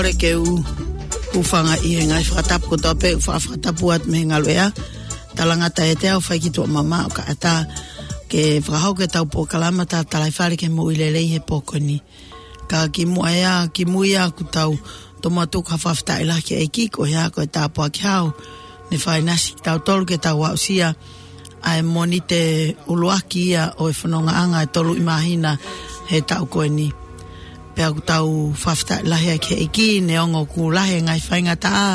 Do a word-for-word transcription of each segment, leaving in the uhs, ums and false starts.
Kole ke u hūfanga ʻi he ngaahi fakatapu kotoa pē, fa-, fakatapu atu mei he ngaluʻea. Talangata ʻiate au, fai ki tuʻa mamaʻo ka ʻatā ke fakahoko ʻetau polokalama Talitali Fale ki he Moʻui Lelei he pō ko eni. Ka kimuʻa ia, kimui ia ʻoku tau tomuʻa tuku ha fakafetaʻi lahi ki he ʻEiki, ko e hā, ko e tāpuaki hao ne fakainasi kitautolu ke tau aʻusia ʻa e Mōnite ʻuluaki ia ʻo e fonongaʻanga ʻe tolu ʻi māhina he taʻu ko eni. Pea ʻoku tau fakafetaʻi lahi ai ki he ʻEiki, neongo ʻoku lahi e ngaahi faingataʻa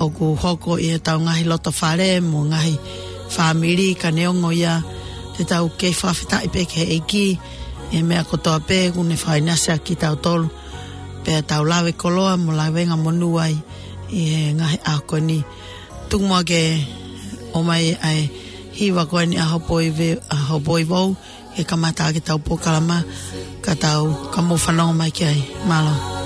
ʻoku hoko ʻi heʻetau ngaahi loto fale mo e ngaahi fāmili, ka neongo ia te tau kei fakafetaʻi pē ki he ʻEiki ʻi he meʻa kotoa pē ʻoku ne fakainasi ai kitautolu. Pea tau lave koloa mo lavengamonū ai ʻi he ngaahi ʻaho ko eni. Tuku muʻa ke ʻomai ʻa e hiva ko eni ʻa Hopoi Ve-, ʻa Hopoi Vou, ke kamata ʻaki ʻetau polokalama, ka tau, ka mou fanongo mai ki ai. Mālō.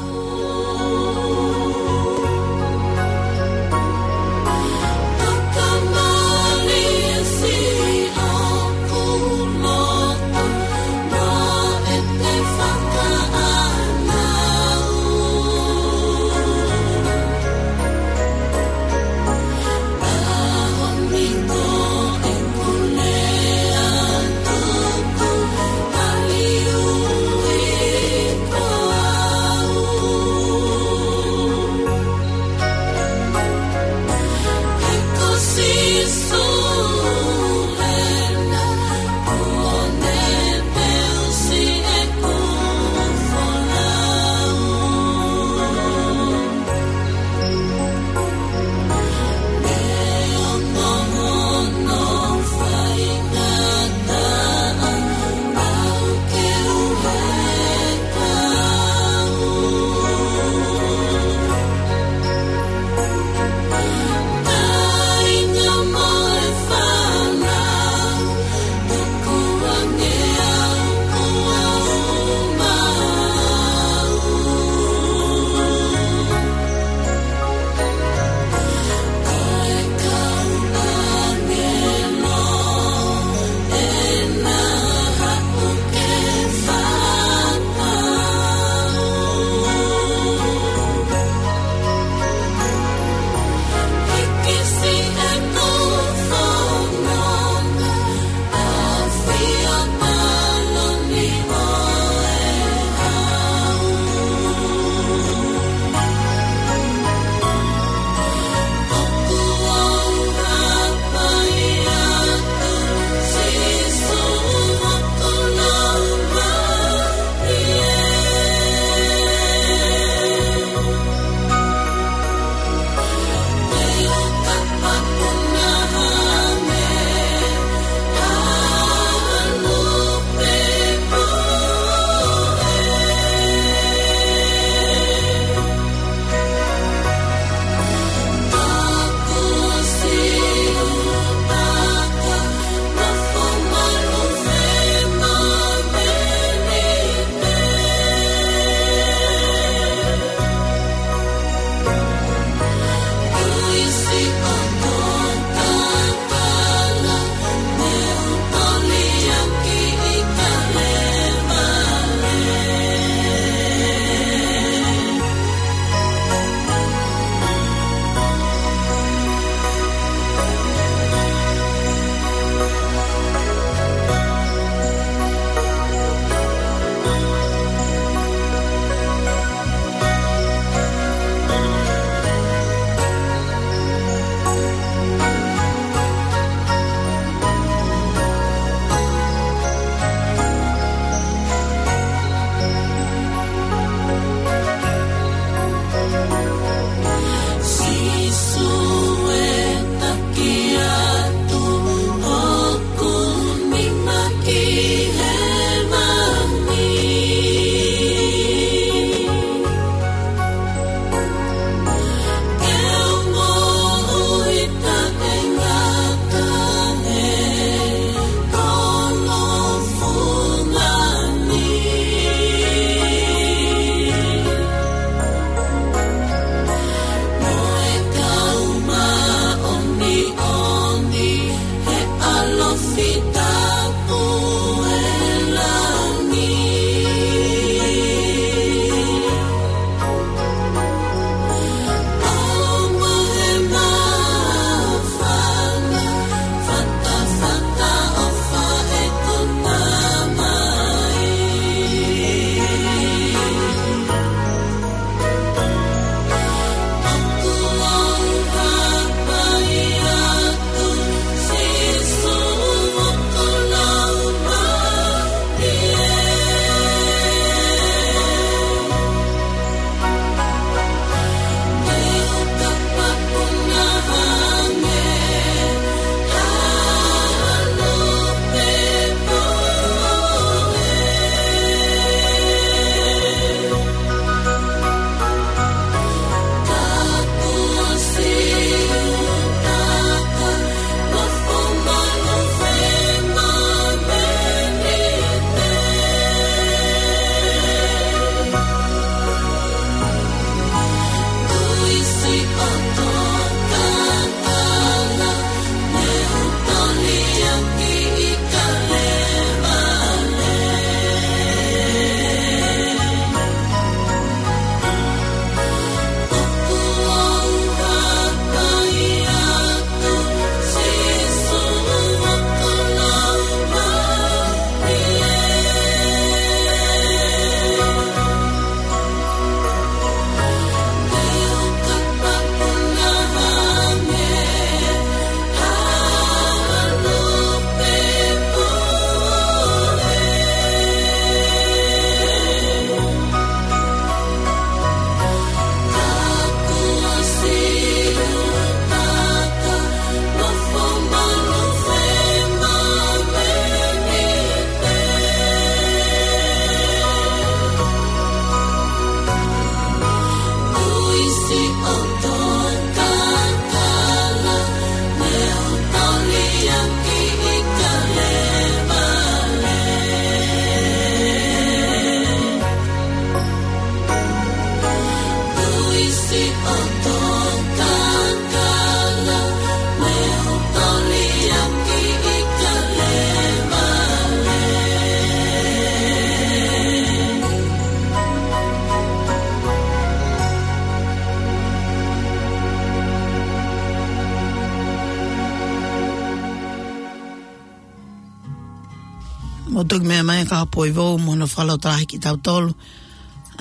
Mo toki meʻa mai ka poi vou mo no falo talahi ki tautolu.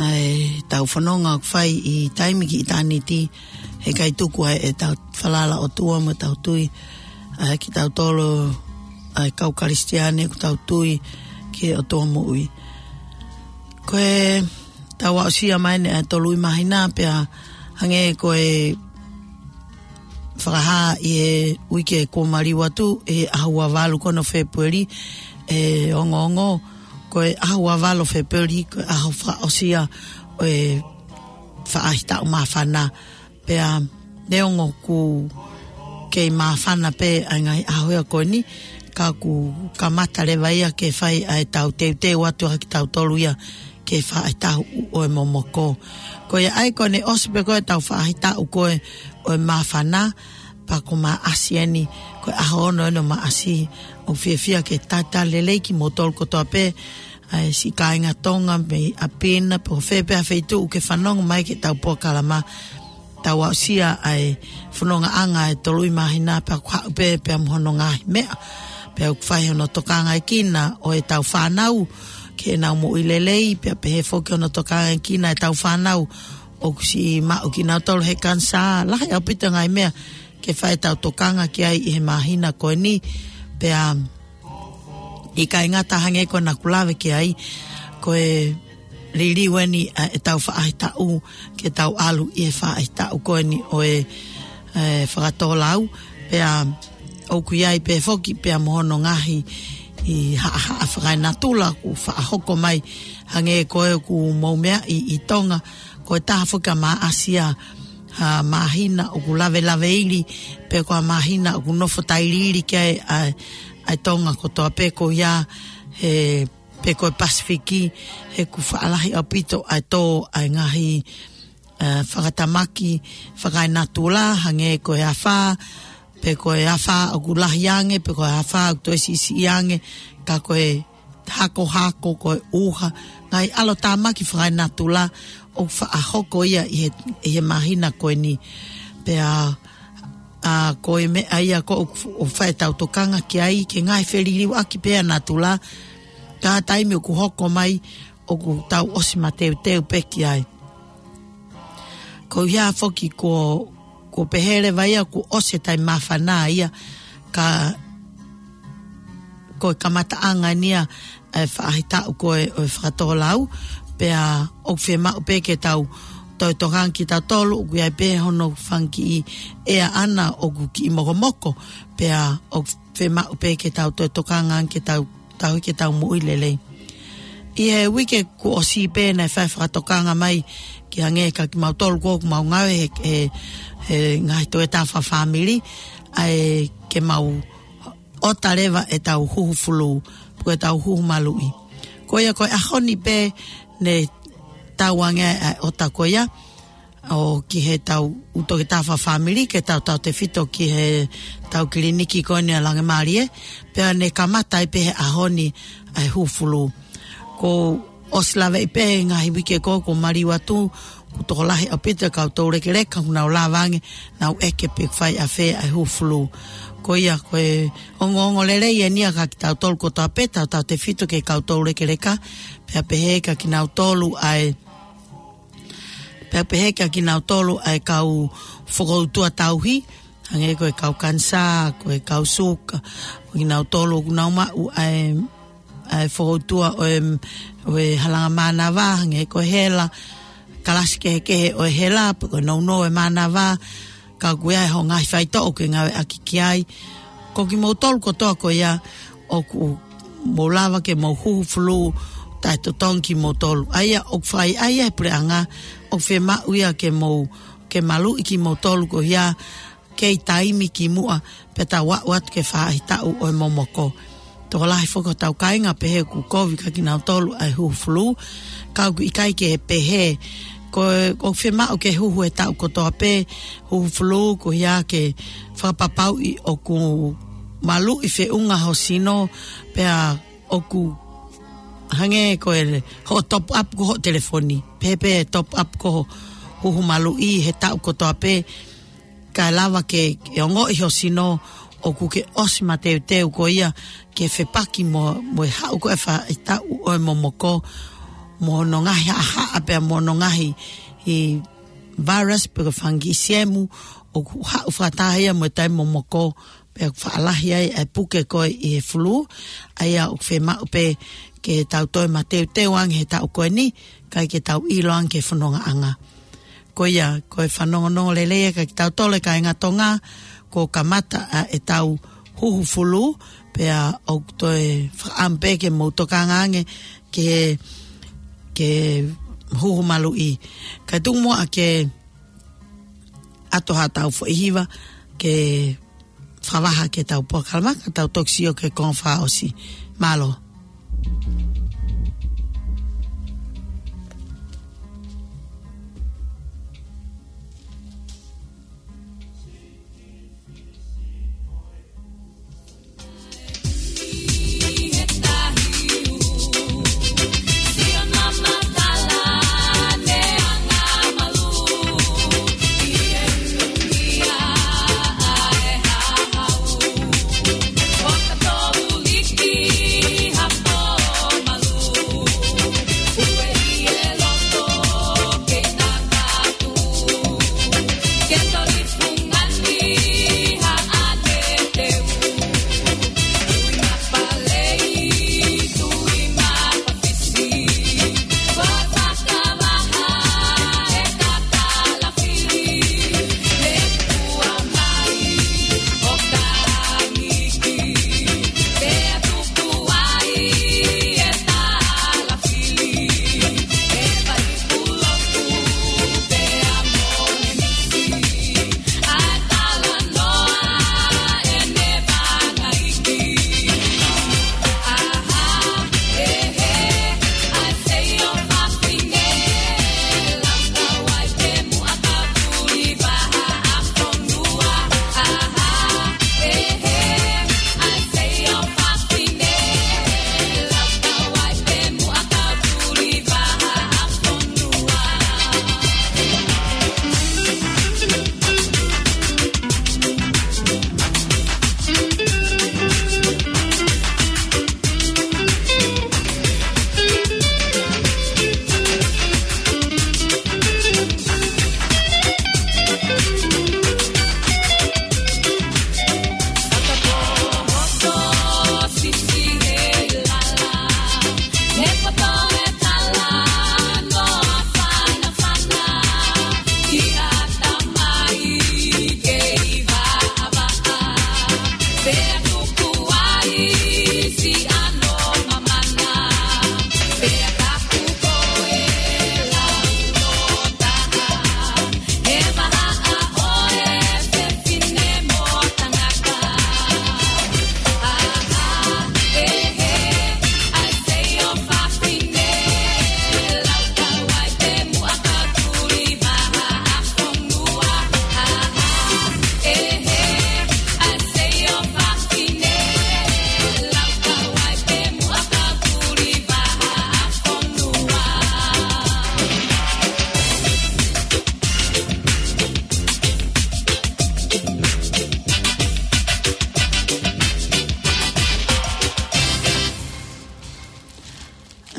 ʻA e tau fononga ʻoku fai ʻi taimi ki ʻitāniti, he ʻikai tuku ai ʻetau falala ʻOtua mo ʻetau tui, ʻa e ki tautolu, ʻa e kau Kalisitiane ʻoku tau tui ki he ʻOtua moʻui. Ko e tau aʻusia mai eni ʻa e tolu ʻi māhina pea hangē ko e fakahā ʻi he uike kuo maliu atu, ʻi he ʻaho ua valu ko eni ʻo Fēpueli, ʻe ongoongo, ko e ʻaho ua valu ʻo Fēpueli, ko e ʻaho fakaʻosi ia ʻo e faʻahitaʻu māfana. Pea neongo ʻoku kei māfana pē ʻa e ngaahi ʻaho ia ko eni, ka ʻoku kamata leva ia ke fai ʻa e tau teuteu atu ʻa kitautolu ia ke faʻahitaʻu ʻo e momoko. Ko ia ai ko eni ʻosi pē ko e tau faʻahitaʻu ko e ʻo e māfana, pea ko Maʻasi eni, ko e ʻaho ono eni ʻo Maʻasi, ʻoku fiefia ke talitali lelei kimoutolu kotoa pē, ʻa e siʻi kāinga Tonga mei ʻapi na, pe ko fē pē ha feituʻu ke fanongo mai ki he tau polokalama, tau aʻusia ʻa e fonongaʻanga ʻa e tolu ʻi māhina pea ʻoku haʻu pē, pea mo hono ngaahi meʻa. Pea ʻoku fai hono tokangaʻi kina ʻo e tau fānau, ke nau moʻui lelei, pea pehē foki hono tokangaʻi kina ʻa e tau fānau, ʻoku siʻi maʻu kinautolu he kanisā, lahi ʻaupito ngaahi meʻa, ke fai tau tokanga ki ai ʻi he māhina ko eni, pea ʻikai ngata hangē ko ena ʻoku lave ki ai, ko e liliu eni ʻa e tau faʻahitaʻu ke tau ʻalu ʻi he faʻahitaʻu ko eni ʻo e, e, fakatōlau, pea ʻoku ʻi ai pē foki pea mo hono ngaahi ʻi haʻahaʻa fakaenatula ʻoku faʻahoko mai hangē ko e ʻoku mou meaʻi ʻi Tonga, ko e taha foki ʻa Maʻasi ʻa ha māhina ʻoku lavelaveili, pe ko ha māhina ʻoku nofo tailiili ki ai ʻa, ʻa e Tonga kotoa pē ko ia he, pe ko e Pasifiki, he ʻoku faʻa lahi ʻaupito ʻa e tō ʻa e ngaahi, ʻa, fakatamaki, fakaenatula, hangē ko e afā, pe ko e afā ʻoku lahi ange, pe ko e afā ʻoku toe siʻisiʻi ange, ka ko e hakohako, ko e ʻuha, ngaahi ʻalotāmaki fakaenatula, ʻoku faʻa hoko ia ʻi he, ʻi he māhina ko eni. Pea, ʻa, ko e meʻa ia ko ē ʻoku, ʻoku fai tau tokanga ki ai, ke ngaahi feliliuaki pē ʻa natula, ka taimi ʻoku hoko mai, ʻoku tau ʻosi mateuteu pē ki ai. Ko ia foki ko, ko pehē leva ia kuo ʻosi e taimi māfana ia ka ko e kamataʻanga eni ia ʻa e faʻahitaʻu ko e ʻo e fakatōlau, pea ʻoku fiemaʻu pē ke tau toe tokanga kitautolu, ʻoku ʻi ai pē hono fanga kiʻi ʻea ʻana ʻoku kiʻi mokomoko, pea ʻoku fiemaʻu pē ke tau toe tokanga ke tau tauhi ke tau moʻui lelei. ʻI he uike kuo ʻosi pē naʻe fai fakatokanga mai ki hangē ka kimautolu ko ʻoku mau ngāue he, he, he ngaahi toe tā fakafāmili, ʻa e ke mau ʻota leva e tau huhu fulū, pe ko e tau huhu maluʻi. Ko ia ko e ʻaho ni pē ne tau ange ʻa e ʻota ko ia, ʻo ki he tau ʻū toketā fakafāmili ke tau tautefito ki he tau kiliniki ko eni ʻa Langemālie, pea ne kamata ai pē he ʻaho ni ʻa e huhu fulū. Ko ʻosi laveʻi pē he ngaahi uike ko ē kuo maliu atu, kuo tokolahi ʻaupito e kau toulekeleka, kuo nau lava ange, nau ʻeke pe fai ʻafē ʻa e huhu fulū. Ko ia ko e ongoongo lelei eni ia ka kitautolu kotoa pē, tau tautefito ki he kau toulekeleka, pea pehē kia kinautolu ʻa e Pea pehē kia kinautolu ʻa e kau fokoutua tauhi, hangē ko e kau kanisā, ko e kau suka, ko kinautolu ʻoku nau maʻu ʻa e, ʻa e fokoutua ʻo e, ʻo e halanga mānava, hangē ko e hela, kalasi kehekehe ʻo e hela, pe ko e nounou ʻo e mānava, ka ʻoku ʻi ai hoʻo ngaahi faitoʻo ke ngāueʻaki ki ai. Ko kimoutolu kotoa ko ia ʻoku mou lava ke mou huhu fulū taʻetotongi kimoutolu. ʻA ia ʻoku fai ʻa ia he puleʻanga ʻoku fiemaʻu ia ke mou, ke maluʻi kimoutolu ko ia kei taimi kimuʻa pea tau aʻu atu ke faʻahitaʻu ʻo e momoko. Tokolahi foki hotau kāinga pehē ʻoku kovi kia kinautolu ʻa e huhu fulū, ka ʻoku ʻikai ke pehē Ko, ʻoku fiemaʻu ke huhu he taʻu kotoa pē, huhu fulū, ko ia ke fakapapauʻi ʻoku maluʻi feʻunga ho sino, pea ʻoku hangē ko e hoʻo top up ko hoʻo telefoni. Pehē pē top up ko ho huhu maluʻi he taʻu kotoa pē, kae lava ke, ke ongoʻi ho sino ʻoku ke ʻosi mateuteu ko ia ke fepaki mo, mo e haʻu ko ē faʻahitaʻu ʻo e momoko, mo hono ngaahi haʻahaʻa pea mo hono ngaahi virus pe ko e fangikisiemu, ʻoku haʻu fakataha ia mo e taimi momoko, pea faʻa lahi ai ʻa e puke ko ē ʻi he fulū, ʻa ia ʻoku fiemaʻu pē ke tau toe mateuteu ange he taʻu ko eni, kae ke tau ʻilo ange ki he fonongaʻanga. Ko ia, ko e fanongonongo lelei ia kia kitautolu e kāinga Tonga, kuo kamata ʻa ʻetau huhu fulū, pea ʻoku toe fakaʻamu pē ke mou tokanga ange ki he, ki he huhu maluʻi. Kae tuku muʻa ke ʻoatu haʻatau foʻi hiva ke fakavaha ki heʻetau polokalama, ka tau toki sio ki he konga fakaʻosi. Mālō.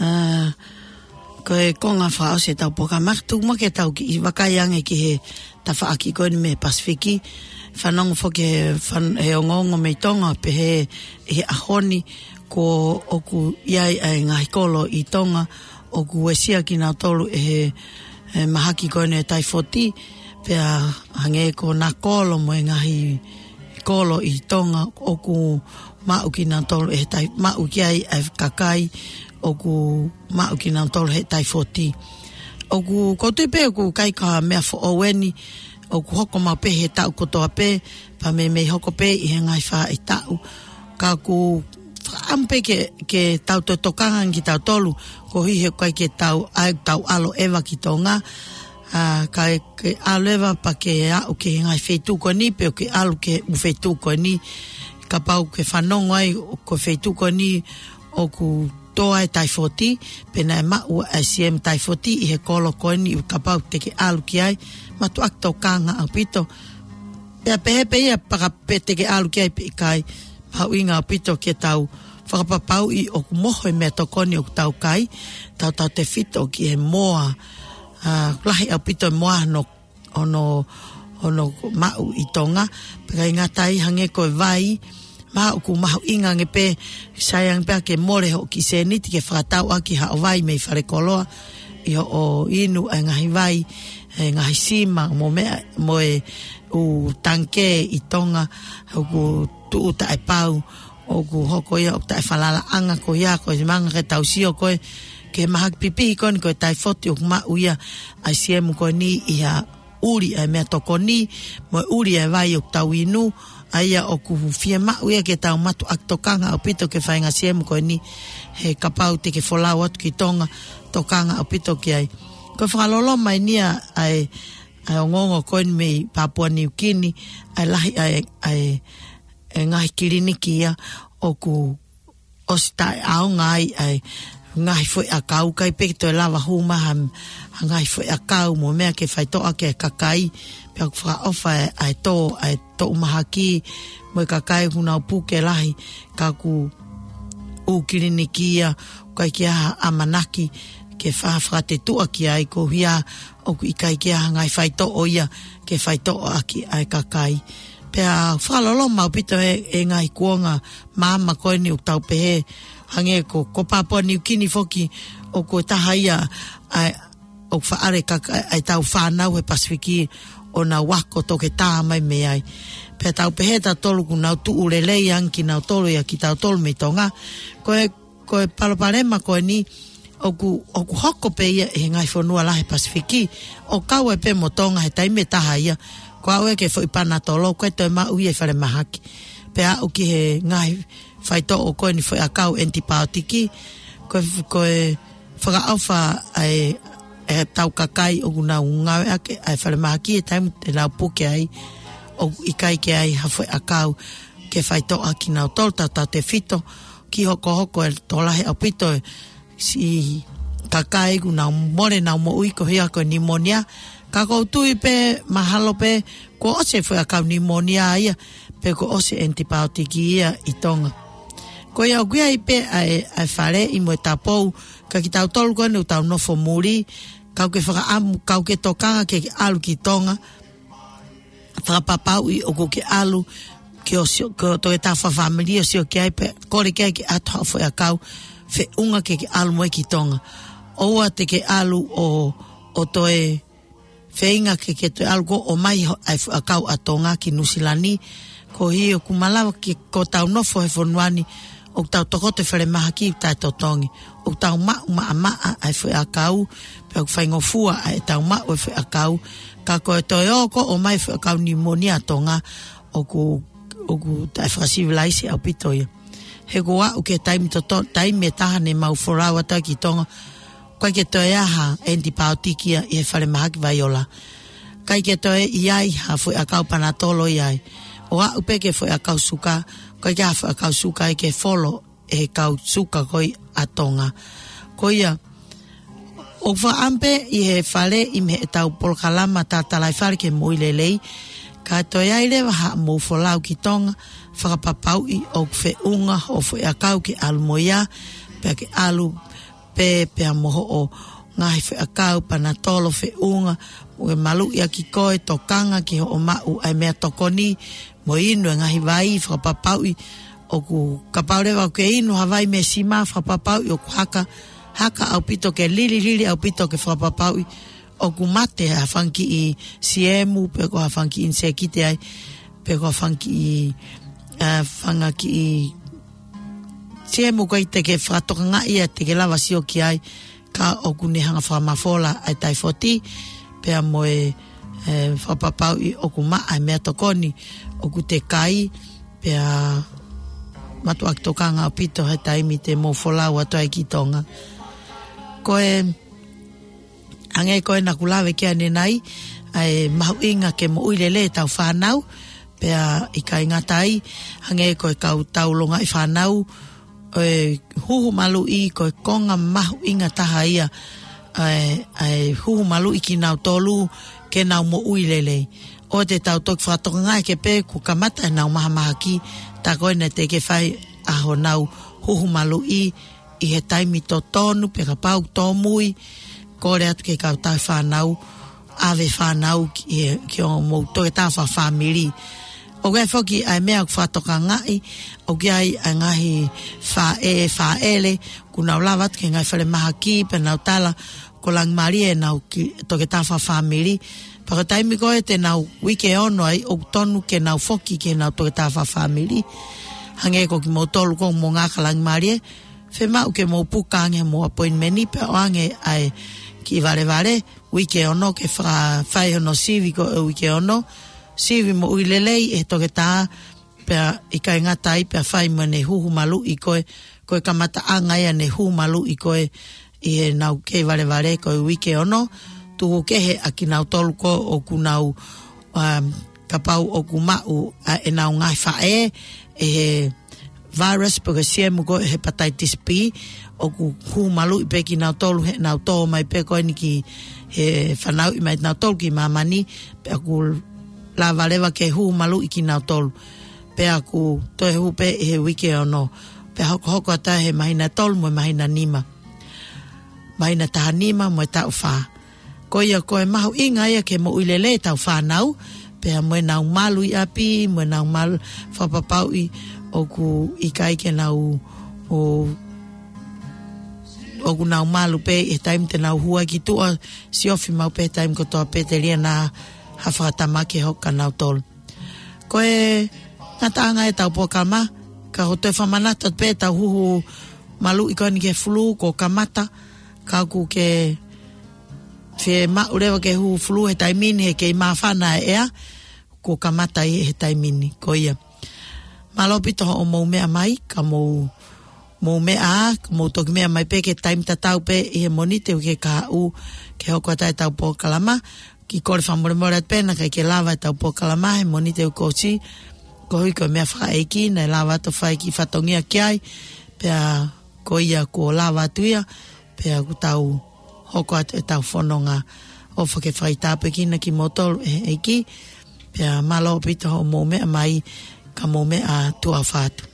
Ā, ko e konga fakaʻosi ʻetau polokalama, tuku muʻa ke tau kiʻi vakai ange ki he tafaʻaki ko eni mei Pasifiki. Fanongo foki he fan-, he ongoongo mei Tonga, pehē ʻi he ʻaho ni kuo ʻoku ʻi ai ʻa e ngaahi kolo ʻi Tonga, ʻoku uesia kinautolu ʻe he, he mahaki ko eni ʻo e taifoti, pea hangē ko Nakolo mo e ngaahi kolo ʻi Tonga ʻoku maʻu kinautolu ʻe he tai-, maʻu ki ai ʻa e kakai ʻoku maʻu kinautolu he taifoti. ʻOku, ʻoku ou tui pē ʻoku ʻikai ko ha meʻa foʻou eni, ʻoku hoko mai pē he taʻu kotoa pē, pea meimei hoko pē ʻi he ngaahi faʻahitaʻu. Ka ʻoku fakaʻamu pē ke, ke tau toe tokanga ange kitautolu, koeʻuhi he ʻoku ʻikai ke tau, ʻai tau ʻalu ʻeva ki Tonga, ʻA, ka ke ʻalu leva pea ke aʻu ki he ngaahi feituʻu ko eni, pe ʻoku ke ʻalu ki he ʻū feituʻu ko eni, kapau ʻoku ke fanongo ai ʻoku ko e feituʻu ko eni ʻoku tō ai e taifoti, pe naʻe maʻu ʻa e siemu taifoti ʻi he kolo ko eni, kapau te ke ʻalu ki ai, mātuʻaki tokanga ʻaupito. Pea pehē pē ia, paka pe te ke ʻalu ki ai pe ʻikai, mahuʻinga ʻaupito ke tau fakapapauʻi ʻoku moho e meʻatokoni ʻoku tau kai, tautautefito ki he moa, ʻa, lahi ʻaupito e moa hono, hono, hono maʻu ʻi Tonga, pea ʻikai ngata ai, hangē ko e vai, mahalo ʻoku mahuʻinga ange pē, sai ange pē ke mole hoʻo kiʻi sēniti ke fakatau ʻaki haʻo vai mei falekoloa, ʻi hoʻo inu ʻa e ngaahi vai, e ngaahi sima, mo e meʻa, mo e ʻū tangikē ʻi Tonga, ʻoku tuʻu taʻepau, ʻoku hoko ia ʻoku taʻefalalaʻanga ko ia, ko e manga ke tau sio ko ē, ki he mahaki pipihi ko eni ko e taifoti ʻoku maʻu ia ʻa e siemu ko eni ʻi he ʻuli ʻa e meʻatokoni, mo e ʻuli ʻa e vai ʻoku tau inu, ʻa ia ʻoku fiemaʻu ia ke tau mātuʻaki tokanga ʻaupito ki he faʻahinga siemu ko eni, he kapau te ke folau atu ki Tonga, tokanga ʻaupito ki ai. Ko e fakaloloma eni ia ʻa e, ʻa e ongoongo ko eni mei Papua New Guinea, ʻa e lahi ʻa e, ʻa e, e ngaahi kiliniki ia ʻoku ʻosi taʻeʻaonga ai ʻa e ngaahi foʻiʻakau, ʻikai pē ke toe lava hū mai ha, ha ngaahi foʻiʻakau mo e meʻa ke faitoʻo ʻaki e kakai, pea ʻoku fakaʻofa ʻa e, ʻa e tō, ʻa e toʻu mahaki, mo e kakai ʻoku nau puke lahi, ka ʻoku ʻū kiliniki ia, ʻoku ʻikai ke ʻi ai ha ʻamanaki ke fa-, fakatetuʻa ki ai, koeʻuhi ʻoku ʻikai ke ʻi ai ha ngaahi faitoʻo ia ke faitoʻo ʻaki ʻa e kakai. Pea fakaloloma ʻaupito e, e ngaahi kuonga maama ko eni ʻoku tau pehē, hangē ko, ko Papua New Guinea foki ʻoku taha ia ʻa e, ʻoku faʻale ka, ʻa e tau fānau he Pasifiki ʻo nau ako toketā mai mei ai. Pea tau pehē tautolu ʻoku nau tuʻu lelei ange kinautolu ia kitautolu mei Tonga. Ko e, ko e palopalema ko eni, ʻoku, ʻoku hoko pē ia ʻi he ngaahi fonua lahi Pasifiki, ʻo kau ai pē mo Tonga he taimi ʻe taha ia, ko e aʻu ia ki he foʻi panatolo, ʻoku ʻikai toe maʻu ia ʻi falemahaki. Pea aʻu ki he ngaahi faitoʻo ko eni foʻiʻakau ʻenipaotiki, ko e, ko e fakaʻofa ʻa e, e tau kakai ʻoku nau ngāueʻaki ʻa e falemahaki he taimi te nau puke ai, ʻoku ʻikai ke ʻi ai ha foʻiʻakau ke faitoʻo ʻaki kinautolu, tautautefito ki he hokohoko e tokolahi ʻaupito e siʻi kakai ʻoku nau mole ʻenau moʻui koeʻuhi ko e pneumonia. Ka ʻoku ou tui pē mahalo pē kuo ʻosi e foʻiʻakau pneumonia ia, pe kuo ʻosi e ʻenipaotiki ia ʻi Tonga. Ko ia ʻoku ʻi ai pē ʻa e, ʻa e faleʻi mo e tapou, ka kitautolu ko eni ʻoku tau nofo muli, kau ke fakaʻamu, kau ke tokanga ke ʻalu ki Tonga, fakapapauʻi ʻoku ke ʻalu ki hoʻo sio, ki hoʻo toketā fakafāmili ʻo sio ki ai pea kole ki ai ke ʻoatu haʻo foʻiʻakau feʻunga ke ke ʻalu mo ia ki Tonga. ʻOua te ke ʻalu ʻo, ʻo toe feinga ke ke toe ʻalu koe ʻo ʻomai ho-, ʻa e foʻiʻakau ʻa Tonga ki Nuʻusila ni, koeʻuhi ʻoku malava ke, ko ʻetau nofo he fonua ni, ʻoku tau tokoto he falemahaki ʻoku taʻetotongi, ʻoku tau maʻu maʻamaʻa ʻa e foʻiʻakau, pea ʻoku faingofua ʻa ʻetau maʻu e foʻiʻakau, ka ko e toe ō koe ʻo ʻomai foʻiʻakau pneumonia ʻa Tonga, ʻoku, ʻoku taʻefakasivilaise ʻaupito ia. He ko e aʻu ki he taimi toto-, taimi ʻe taha ne mau folau atu ai ki Tonga, ʻoku ʻikai ke toe ʻi ai ha ʻenipaotiki ia ʻi he falemahaki Vaiola. ʻIkai ke toe ʻi ai ha foʻiʻakau panatolo ia ai. ʻO aʻu pē ki he foʻiʻakau suka, ʻoku ʻikai ke ʻi ai ha foʻiʻakau suka ia ke folo ʻe he kau suka ko ia ʻa Tonga. Ko ia, ʻoku fakaʻamu pē ʻi he faleʻi mei heʻetau polokalama Tatalaifale ki he Moʻui Lelei, ka toe ʻi ai leva haʻamou folau ki Tonga, fakapapauʻi ʻoku feʻunga hoʻo foʻiʻakau ke ʻalu mo ia, pea ke ʻalu pē, pea mo hoʻo ngaahi foʻiʻakau panatolo feʻunga, mo e maluʻi ʻaki koe, tokanga ki hoʻo maʻu ʻa e meʻatokoni, mo inu e ngaahi vai, fakapapauʻi ʻoku, kapau leva ʻoku ke inu ha vai mei he sima, fakapapauʻi ʻoku haka, haka ʻaupito ke lili, lili ʻaupito ke fakapapauʻi ʻoku mate ha fanga kiʻi siemu, pe ko ha fanga kiʻi ʻinisēkiti ai, pe ko ha fanga kiʻi, ʻa, fanga kiʻi siemu ʻoku ʻikai te ke fakatokangaʻi ia te ke lava sio ki ai, ka ʻoku ne hanga fakamafola ʻa e taifoti, pea mo e, e, fakapapauʻi ʻoku maʻa e meʻatokoni ʻoku te kai, pea mātuʻaki tokanga ʻaupito he taimi te mou folau atu ai ki Tonga. Ko e, Hangē ko ena kuo lave ki ai ʻanenai, ʻa e mahuʻinga ke moʻui lelei ʻetau fānau, pea ʻikai ngata ai, hangē ko e kau tau longaʻi fānau, ʻa e huhu maluʻi ko e konga mahuʻinga taha ia, ʻa e, ʻa e huhu maluʻi kinautolu ke nau moʻui lelei. ʻOua te tau toki fakatokangaʻi ke pē kuo kamata ʻenau mahamahaki, tā ko ena te ke fai ʻa honau huhu maluʻi ʻi he taimi totonu, pea kapau tōmui, kole atu ki he kau tauhi fānau, ʻave fānau ki he, ki hoʻomou toketā fakafāmili. ʻOku ʻi ai foki ʻa e meʻa ʻoku fakatokangaʻi, ʻoku ʻi ai ʻa e ngaahi faʻē, fāʻele, kuo nau lava atu ki he ngaahi falemahaki, pea nau tala, ko e langimalie ʻenau ki, toketā fakafāmili. Pea ko e taimi ko ē te nau uike ono ai, ʻoku tonu ke nau foki ki heʻenau toketā fakafāmili. Hangē ko kimoutolu ko mo ngā ka langimalie, fiemaʻu ke mou puka ange mo appointment pea ʻoange ʻa e kiʻi valevale, uike ono ke fa-, fai hono sivi ko e uike ono, sivi moʻui lelei ʻe he toketā, pea ʻikai ngata ai pea fai mo ʻene huhu maluʻi ko ē, ko e kamataʻanga ia ʻene huhu maluʻi ko ē ʻi heʻenau kei valevale ko e uike ono, tuku kehe ʻa kinautolu ko ē ʻoku nau, um, kapau ʻoku maʻu ʻa ʻenau ngaahi faʻē, ʻe he virus pe ko e siemu ko e hepatitis B, ʻoku huhu maluʻi pē kinautolu heʻenau tō mai pē ko eni ki he fanauʻi mai nautolu ki māmani, pea ʻoku lava leva ke huhu maluʻi kinautolu. Pea ʻoku toe huhu pē ʻi he uike ono. Pea hokohoko atu he māhina tolu mo e māhina nima. Māhina taha nima mo e taʻu fā. Ko ia ko e mahuʻinga ia ke moʻui lelei ʻetau fānau, pea mo ʻenau malu ʻi ʻapi, mo ʻenau malu fakapapauʻi ʻoku ʻikai ke nau, ʻo, ʻoku nau malu pē ʻi he taimi te nau hū ai ki tuʻa, siofi maʻu pē taimi kotoa pē telia naʻa ha fakatamaki hoko kia nautolu. Ko e ngataʻanga ʻetau polokalama, ka ko e toe fakamanatu atu pē ʻetau huhu maluʻi ko eni ki he fulū, kuo kamata, ka ʻoku ke fiemaʻu leva ke huhu fulū he taimi ni he kei māfana e ʻea, kuo kamata ʻi he taimi ni, ko ia. Mālō ʻaupito hoʻomou meʻa mai, ka mou, mou meʻa, ka mou toki meʻa mai pē ki he taimi tatau pē ʻi he Mōnite uike kahaʻu, ke hoko atu ai ʻetau polokalama, kiʻi kole fakamolemole atu pē naʻe ʻikai ke lava ʻetau polokalama he Mōnite kuo ʻosi, koeʻuhi ko e meʻa fakaʻeiki, naʻe lava atu ʻo fai e kiʻi fatongia ki ai, pea ko ia kuo lava atu ia, pea kuo tau hoko atu ʻetau fononga ʻo fakafaitapekina kimoutolu ʻe he ʻEiki, pea mālō ʻaupito hoʻomou meʻa mai, ka mou meʻa, tuʻa ʻofa atu.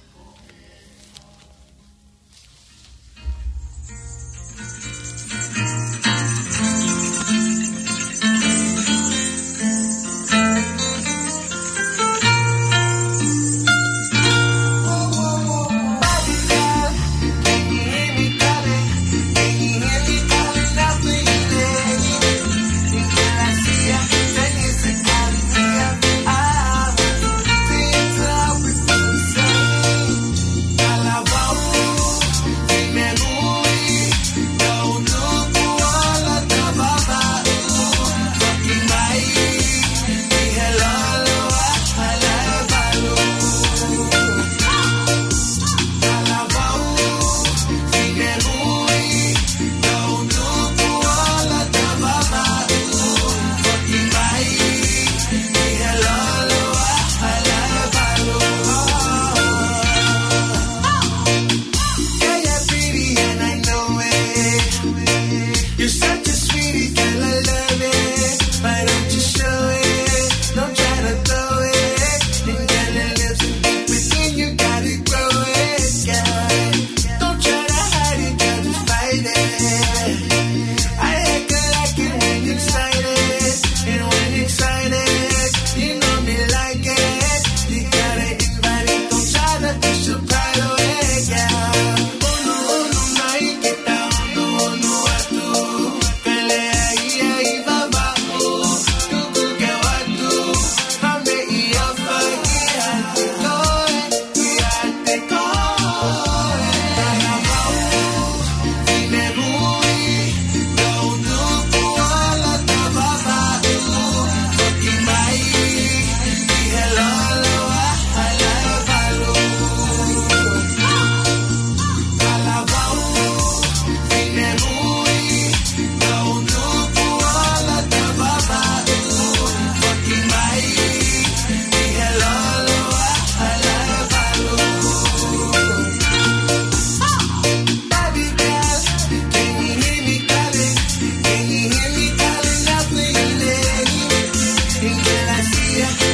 Gracias.